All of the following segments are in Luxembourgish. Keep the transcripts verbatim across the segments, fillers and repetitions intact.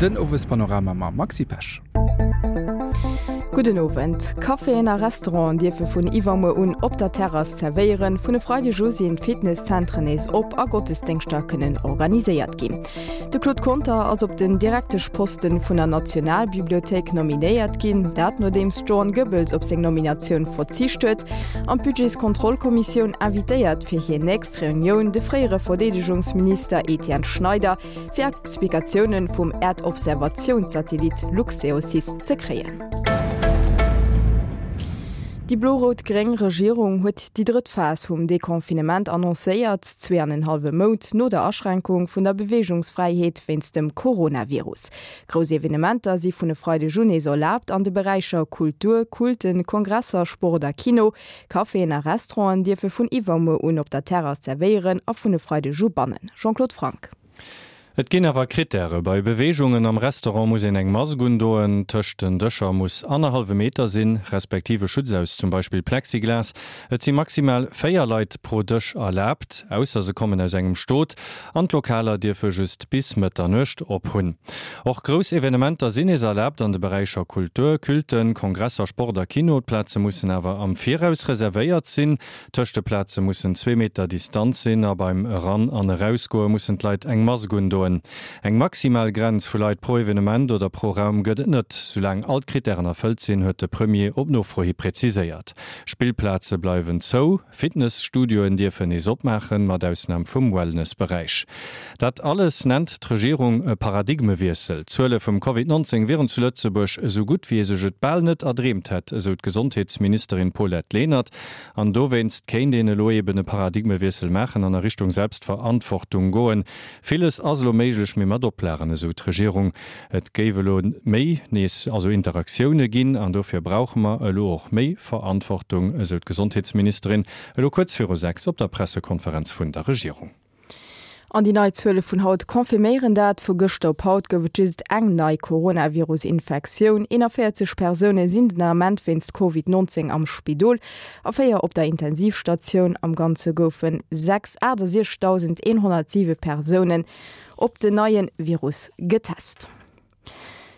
Den Owespanorama mam Maxi Pesch. Gudden Owend. Caféen a Restauranten dierfe vun iwwermuer un op der Terrass zerwéieren. Vun e Freideg u sinn d'Fitnesszentren nees op a Gottesdéngschter kënnen organiséiert ginn. De Claude Conter ass op den Direkteschposten vun der Nationalbibliothéik nominéiert ginn, dat nodeems d'Joanne Goebbels op seng Nominatioun verzicht huet. An d'Budgetskontrollkommissioun invitéiert fir hir nächst Reunioun de fréiere Verdeedegungsminister Etienne Schneider, fir Explikatioune vum Äerdobservatiounssatellit Luxeosys ze kréien. Déi blo-rout-gréng Regierung huet déi drëtt Phas vum Deconfinement annoncéiert, zwee an en hallwe Mount no der Aschränkung vun der Beweegungsfräiheet wéinst dem Coronavirus. Grouss Evenementer si vun e Freideg un nees erlaabt an de Beräicher Kultur, Culten, Kongresser, Sport a Kino. Caféen a Restauranten dierfe vun iwwermuer un op der Terrass zerwéieren a vun e Freideg u bannen. Jean-Claude Franck. Et ginn awer Krittäre, Bei Beweegungen am Restaurant muss een eng Mask undoen, tëscht den Dëscher muss annerhallwe Meter sinn, respektiv e Schutz aus zum Beispill Plexiglas. Et si maximal véier Leit pro Dësch erlaabt, ausser se kommen aus engem Stot, an d'Lokaler dierfe just bis Mëtternuecht op hunn. Och grouss Evenementer sinn nees erlaabt an de Beräicher Kultur, Culten, Kongresser, Sport a Kino. D'Plaze mussen awer am Viraus reservéiert sinn, tëscht de Plaze mussen zwee Meter Distanz sinn a beim Eran an Erausgoe mussen d'Leit eng Mask undoen. Eng maximal Grenz vu Leit pro Evenement oder pro Raum gëtt et net, soulaang all d'Krittären erfëllt sinn, huet de Premier op Nofro hi präziséiert. Spillplaze bleiwen zou, Fitnesstudioen dierfen nees opmaachen, mat Ausnam vum Wellnessberäich. Dat alles nennt d'Regierung e Paradigmewiessel. D'Zuele vum Covid nonzéng wieren zu Lëtzebuerg esou gutt, wéi ee sech et bal net erdreemt hätt, esou d'Gesondheetsministerin Paulette Lenert. An dowéinst kéint een elo eben e Paradigmewiessel maachen an a Richtung Selbstverantwortung goen. Villes ass elo méiglech, mee mat Oplagen, esou d'Regierung. Et géif elo méi nees also Interaktioune ginn an dofir brauche mer elo och méi Verantwortung, esou d'Gesondheetsministerin elo kuerz viru sechs op der Pressekonferenz vun der Regierung. An déi nei Zuele vun haut confirméieren dat. Vu gëschter op haut gouf et just eng nei Coronavirus-Infektioun. eenanvéierzeg Persoune sinn den Ament wéinst Covid nonzéng am Spidol a véier op der Intensivstatioun. Am Ganze goufe sechs achtesechzegdausendeenhonnertsiwe Persounen op den neie Virus getest.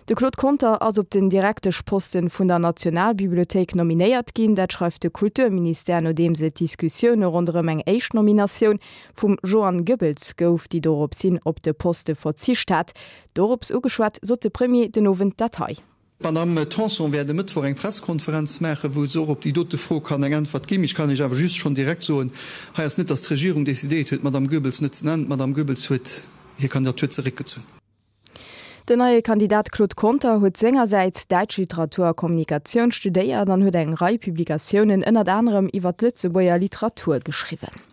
De Claude Conter ass op den Direkteschposten vun der Nationalbibliothéik nominéiert ginn. Dat schreift de Kulturministère, nodeems et Diskussioune ronderëm eng éischt Nominatioun vum Joanne Goebbels gouf, déi dorops hin op de Poste verzicht hat. Dorops ugeschwat, sot de Premier den Owend dat hei. D'Madame Tanson wäert e Mëttwoch eng Presskonferenz maachen, wou se och op déi dote Fro kann eng Äntwert ginn. Ech kann Iech awer just schonn direkt soen, hei ass net, datt d'Regierung decidéiert huet, d'Madame Goebbels net ze nennen. D'Madame Goebbels huet hir Kandidatur zeréckgezunn. Den neie Kandidat Claude Conter huet sengersäits Däitsch Literatur a Kommunikatioun studéiert an huet eng Rei Publikatiounen ënnert anerem iwwer d'Lëtzebuerger Literatur geschriwwen.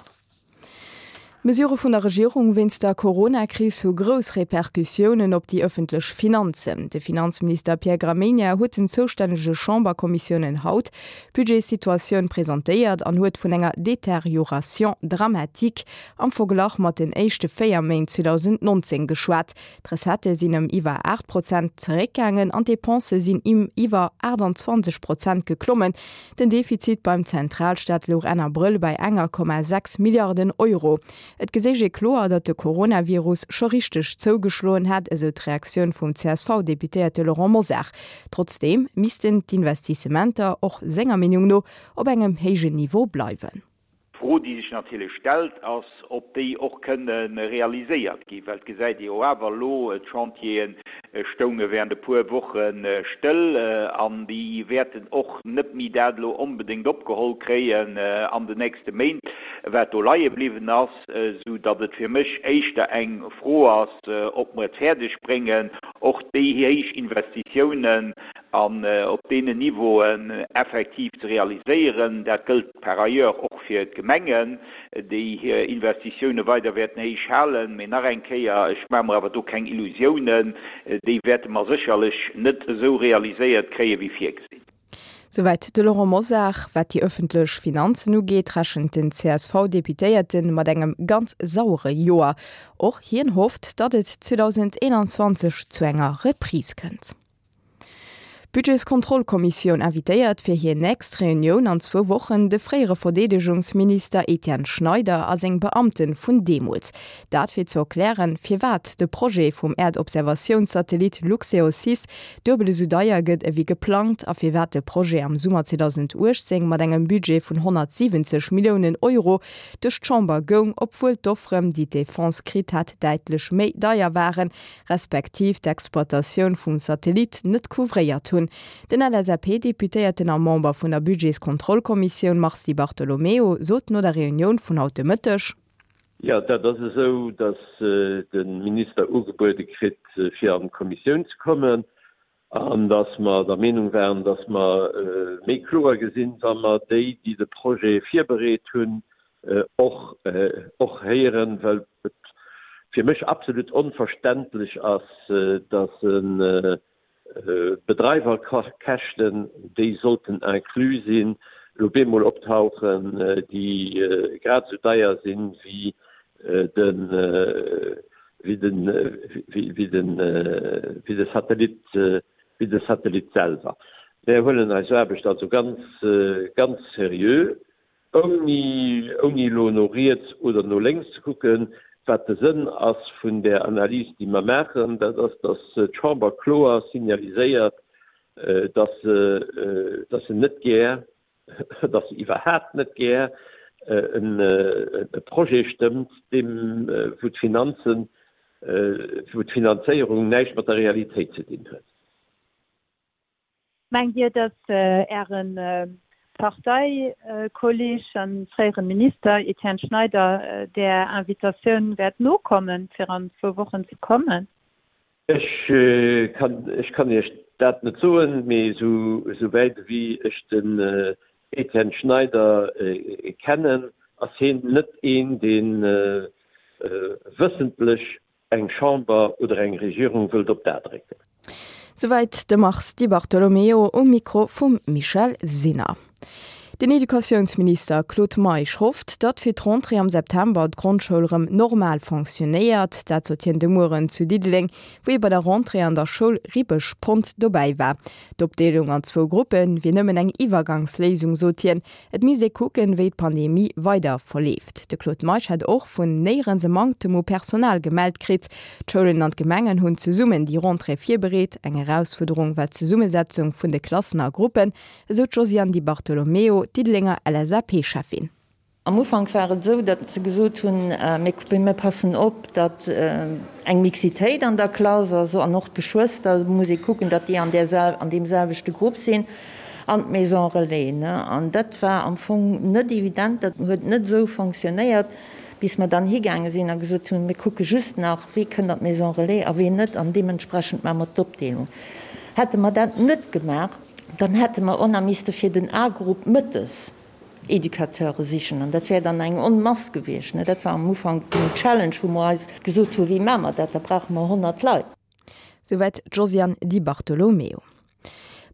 D'Mesurë vun der Regierung wéinst der Corona-Kris hu grouss Repercussiounen op déi ëffentlech Finanzen. De Finanzminister Pierre Gramegna huet den zoustännege Chamberkommissiounen haut d'Budgetssituatioun presentéiert an huet vun enger Détérioration dramatique am Verglach mat den éischte véier Méint zweedausendnonzéng geschwat. D'Recettë sinn ëm iwwer aacht Prozent zeréckgaangen an d'Depensë sinn ëm iwwer aachtanzwanzeg Prozent geklommen. Den Defizit beim Zentralstaat louch Enn Abrëll bei enger Komma sechs Milliarden Euro. Et geséich ee kloer, datt de Coronavirus scho richteg zougeschloen hätt, esou d'Reaktioun vum C S V-Deputéierte Laurent Mosar. Trotzdeem missten d'Investissementer och senger Meenung no op engem héijen Niveau bleiwen. D'Fro, déi sech natierlech stellt, ass, ob déi och kënne realiséiert ginn, well et gesäit ee jo awer elo, d'Chantiere stounge während e puer Woche stëll an déi wäerten och net méi dat elo onbedéngt opgeholl kréien an den nächste Méint, wat do leie bliwwen ass, esou datt et fir mech éischter eng Fro ass, ob mer et fäerdeg bréngen, och déi héich Investitiounen an op deenen Niveauen effektiv ze realiséieren. Dat gëllt par ailleurs och fir d'Gemengen, déi hir Investitioune weider wäerten héich halen. Mee nach eng Kéier, ech maache mer awer do keng Illusiounen, déi wäerte mer sécherlech net esou realiséiert kréie wéi virgesinn. Souwäit de Laurent Mosar. Wat déi ëffentlech Finanzen ugeet, rechent den C S V-Deputéierte mat engem ganz sauere Joer. Och hien hofft, datt et zweedausendeenanzwanzeg zu enger Reprise kënnt. D'Budgetskontrollkommissioun invitéiert fir hir nächst Reunioun an zwou Wochen de fréiere Verdeedegungsminister Etienne Schneider a seng Beamte vun deemools. Dat fir ze erklären, firwat de Projet vum Äerdobservatiounssatellit Luxeosys duebel esou deier gëtt ewéi geplangt a firwat de Projet am Summer zweedausenduechtzéng mat engem Budget vun honnertsiwwenzeg Milliounen Euro duerch d'Chamber goung, obwuel d'Offeren, déi d'Defense kritt hat, däitlech méi deier waren, respektiv d'Exploitatioun vum Satellit net couvréiert hunn. Den L S A P-Deputéierten a Member vun der Budgetskontrollkommissioun Mars Di Bartolomeo sot no der Reunioun vun haut de Mëtteg. Jo, dat ass esou, datt de Minister ugebuede kritt, fir an d'Kommissioun ze kommen, an datt mer der Meenung waren, datt mer méi kloer gesinn, wa mer déi, déi de Projet virbereet hunn, och och héieren, well et fir mech absolut onverständlech ass, datt e Bedreiwerkäschten, déi sollten inclus sinn, elo bemol optauchen, déi grad esou deier sinn wéi den wéi den wéi den wéi de Satellit wéi de Satellit selwer. Mir huelen eis Aarbecht also ganz ganz seriö, ouni ouni elo no riets oder no lénks ze kucken. Wat de Sënn ass vun där Analys, déi mer maachen, dat ass, datt d'Chamber kloer signaliséiert, datt se datt se net gär, datt se iwwerhaapt net gär e Projet stëmmt, deem wou d'Finanzen, wou d'Finanzéierung näischt mat der Realitéit ze dinn huet. Mengt Dir, datt Äre Parteikolleeg a fréiere Minister Etienne Schneider där Invitatioun wäert nokommen, fir an zwou Wochen ze kommen? Ech kann, ech kann Iech dat net soen, mee esou, esouwäit ewéi ech den Etienne Schneider kennen, ass hien net een, dee wëssentlech eng Chamber oder eng Regierung wëllt op d'A drécken. Souwäit de Mars Di Bartolomeo um Mikro vum Michèle Sinner. Den Educatiounsminister Claude Meisch hofft, datt fir d'Rentrée am September d'Grondschoul rëm normal fonctionnéiert. Dat sot hien de Mueren zu Diddeleng, wou hie bei der Rentrée an der Schoul Ribeschpont dobäi war. D'Opdeelung an zwou Gruppe wier nëmmen eng Iwwergangsléisung, sot hien. Et misst ee kucken, wéi d'Pandemie weider verleeft. De Claude Meisch hätt och vun néierens e Manktem u Personal gemellt kritt. D'Schoulen an d'Gemengen hunn zesummen déi Rentrée virbereet. Eng Erausfuerderung war d'Zesummesetzung vun de Klassen a Gruppen, esou d'Josiane Di Bartolomeo, d'Diddelenger L S A P-Schäffin. Am Ufank war et esou, datt se gesot hunn, mir passen op, datt eng Mixitéit an der Klass ass an och d'Geschwëster muss ee kucken, datt déi an där an deem selwechte Grupp sinn an d'Maison relais. An dat war am Fong net evident, dat huet net esou fonctionnéiert, bis mer dann higaange sinn a gesot hunn, mir kucke just nach, wie kënnt an d'Maison relais a wien net an deementsprechend maache mer d'Opdeelung. Hätte mer dat net gemaach, dann hätte mer och nach misste fir den A-Grupp mëttes Educateure sichen an dat wär dann eng Onmass gewiescht. Dat war am Ufank den Challenge, wou mer eis gesot hu wéi maache mer dat, da brauche mer honnert Leit. Souwäit d'Josiane Di Bartolomeo.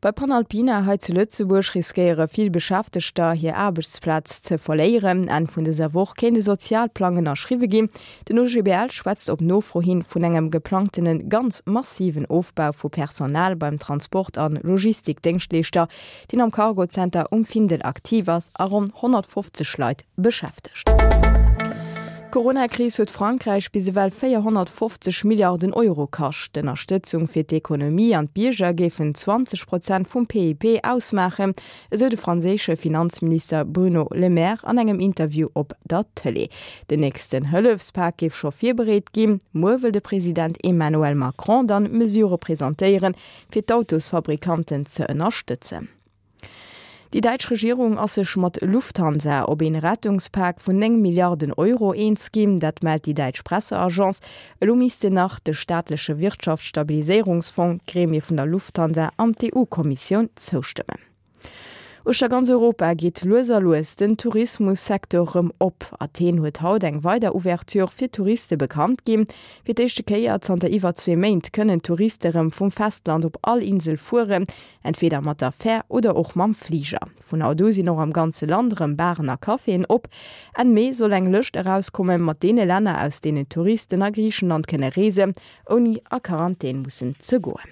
Bei Panalpina hei zu Lëtzebuerg riskéiere vill Beschäftegter hir Aarbechtsplaz ze verléieren. Enn vun dëser Woch kéint de Sozialplang ënnerschriwwe ginn. Den O G B L schwätzt op Nofro hin vun engem geplangtene ganz massiven Ofbau vu Personal beim Transport an Logistikdéngschtleeschter, deen am Cargocenter um Findel aktiv ass a ronn honnertfofzeg Leit beschäftegt. D'Coronakris huet Frankräich bis ewell véierhonnertfofzeg Milliarden Euro kascht. D'Ënnerstëtzung fir d'Ekonomie an d'Bierger géifen zwanzeg Prozent vum P I B ausmaachen, esou de franséische Finanzminister Bruno Le Maire an engem Interview op der Tëlee. Den nächsten Hëllefspak géif scho virbereet ginn. Muer wëll de President Emmanuel Macron dann Mesurë presentéieren, fir d'Autosfabrikanten ze ënnerstëtzen. Déi däitsch Regierung ass sech mat Lufthansa op een Rettungspak vun néng Milliarden Euro eens ginn, dat mellt déi däitsch Presseagence. Elo missten nach de staatleche Wirtschaftsstabiliséierungsfong, d'Gremie vun der Lufthansa an d'E U-Kommissioun zoustëmmen. Uechter ganz Europa geet lues a lues den Tourismussecteur rëm op. Athen huet haut eng weider Ouverture fir Touriste bekannt ginn. Fir d'éischte Kéier zanter iwwer zwee Méint kënnen Touriste rëm vum Festland op all Insel fueren, entweder mat der Fär oder och mam Fliger. Vun haut u sinn och am ganze Land rëm Baren a Caféen op. Enn Mee soll eng Lëscht erauskomme mat deene Länner, aus deenen Touristen a Griichenland kënne reesen, ouni a Quarantän mussen ze goen.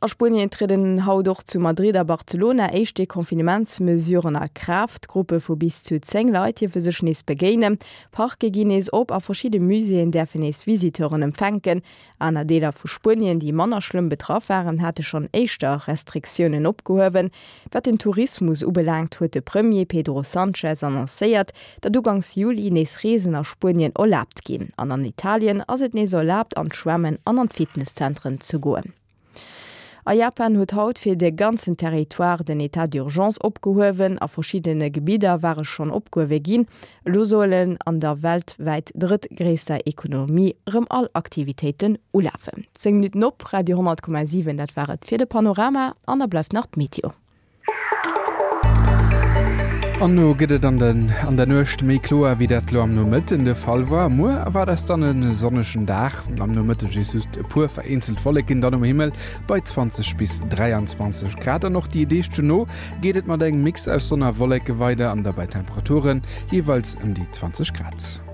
A Spuenien trieden haut och zu Madrid a Barcelona éischt Deconfinementsmesuren a Kraaft. Gruppe vu bis zu zéng Leit dierfe sech nees begéinen, Parke ginn nees op a verschidde Muséeën däerfen nees Visiteuren empfänken. Aner Deeler vu Spuenien, déi manner schlëmm betraff waren, hate schonn éischter Restriktiounen opgehuewen. Wat den Tourismus ubelaangt, huet de Premier Pedro Sanchez annoncéiert, datt uganks Juli nees Reesen a Spuenien erlaabt ginn. An an Italien ass et nees erlaabt, an d'Schwämmen an an d'Fitnesszentren ze goen. A Japan huet haut fir de ganzen Territoire den Etat d'urgence opgehuewen. A verschiddene Gebidder war e schonn opgehuewe ginn. Elo sollen an der weltwäit drëttgréisster Ekonomie erëm all Aktivitéiten ulafen. Zéng Minutten op Radio honnert Komma siwen, dat war et fir de Panorama an da bleift nach d'Meteo. An no gëtt et an den an der Nuecht méi kloer, wéi dat lo am Nomëtten de Fall war. Muer erwaart eis dann e sonnegen Dag, am Nomëtteg si just e puer vereenzelt Wolleken dann um Himmel bei zwanzeg bis dräianzwanzeg Grad. An och déi Deeg dono geet et mat engem Mix aus Sonn a Wolleke weider an da bei Temperaturen jeeweils ëm déi zwanzeg Grad.